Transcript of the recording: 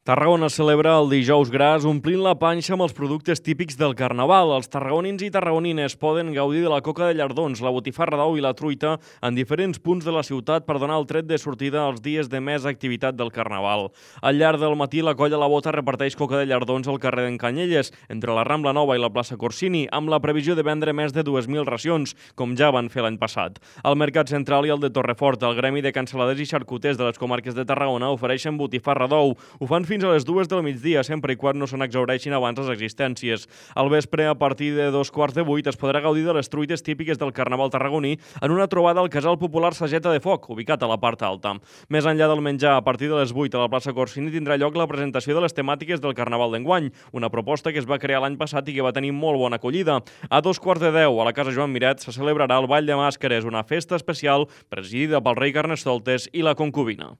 Tarragona celebra el Dijous Gras omplint la panxa amb els productes típics del Carnaval. Els tarragonins i tarragonines poden gaudir de la coca de llardons, la botifarra d'ou i la truita en diferents punts de la ciutat per donar el tret de sortida als dies de més activitat del Carnaval. Al llarg del matí, la colla La Bota reparteix coca de llardons al carrer d'en Canyelles, entre la Rambla Nova i la plaça Corsini, amb la previsió de vendre més de 2.000 racions, com ja van fer l'any passat. Al Mercat Central i al de Torrefort, el Gremi de Cansaladers i Xarcuters de les comarques de Tarragona ofereixen botifarra d'ou. Ho fan fins a les 2 del migdia, sempre i quan no se n'exhaureixin abans les existències. Al vespre, a partir de 7:45, es podrà gaudir de les truites típiques del Carnaval tarragoní en una trobada al Casal Popular Sageta de Foc, ubicat a la part alta. Més enllà del menjar, a partir de les 8 a la plaça Corsini tindrà lloc la presentació de les temàtiques del Carnaval d'enguany, una proposta que es va crear l'any passat i que va tenir molt bona acollida. A 9:15 a la Casa Joan Miret se celebrarà el Ball de Màscares, una festa especial presidida pel rei Carnestoltes i la concubina.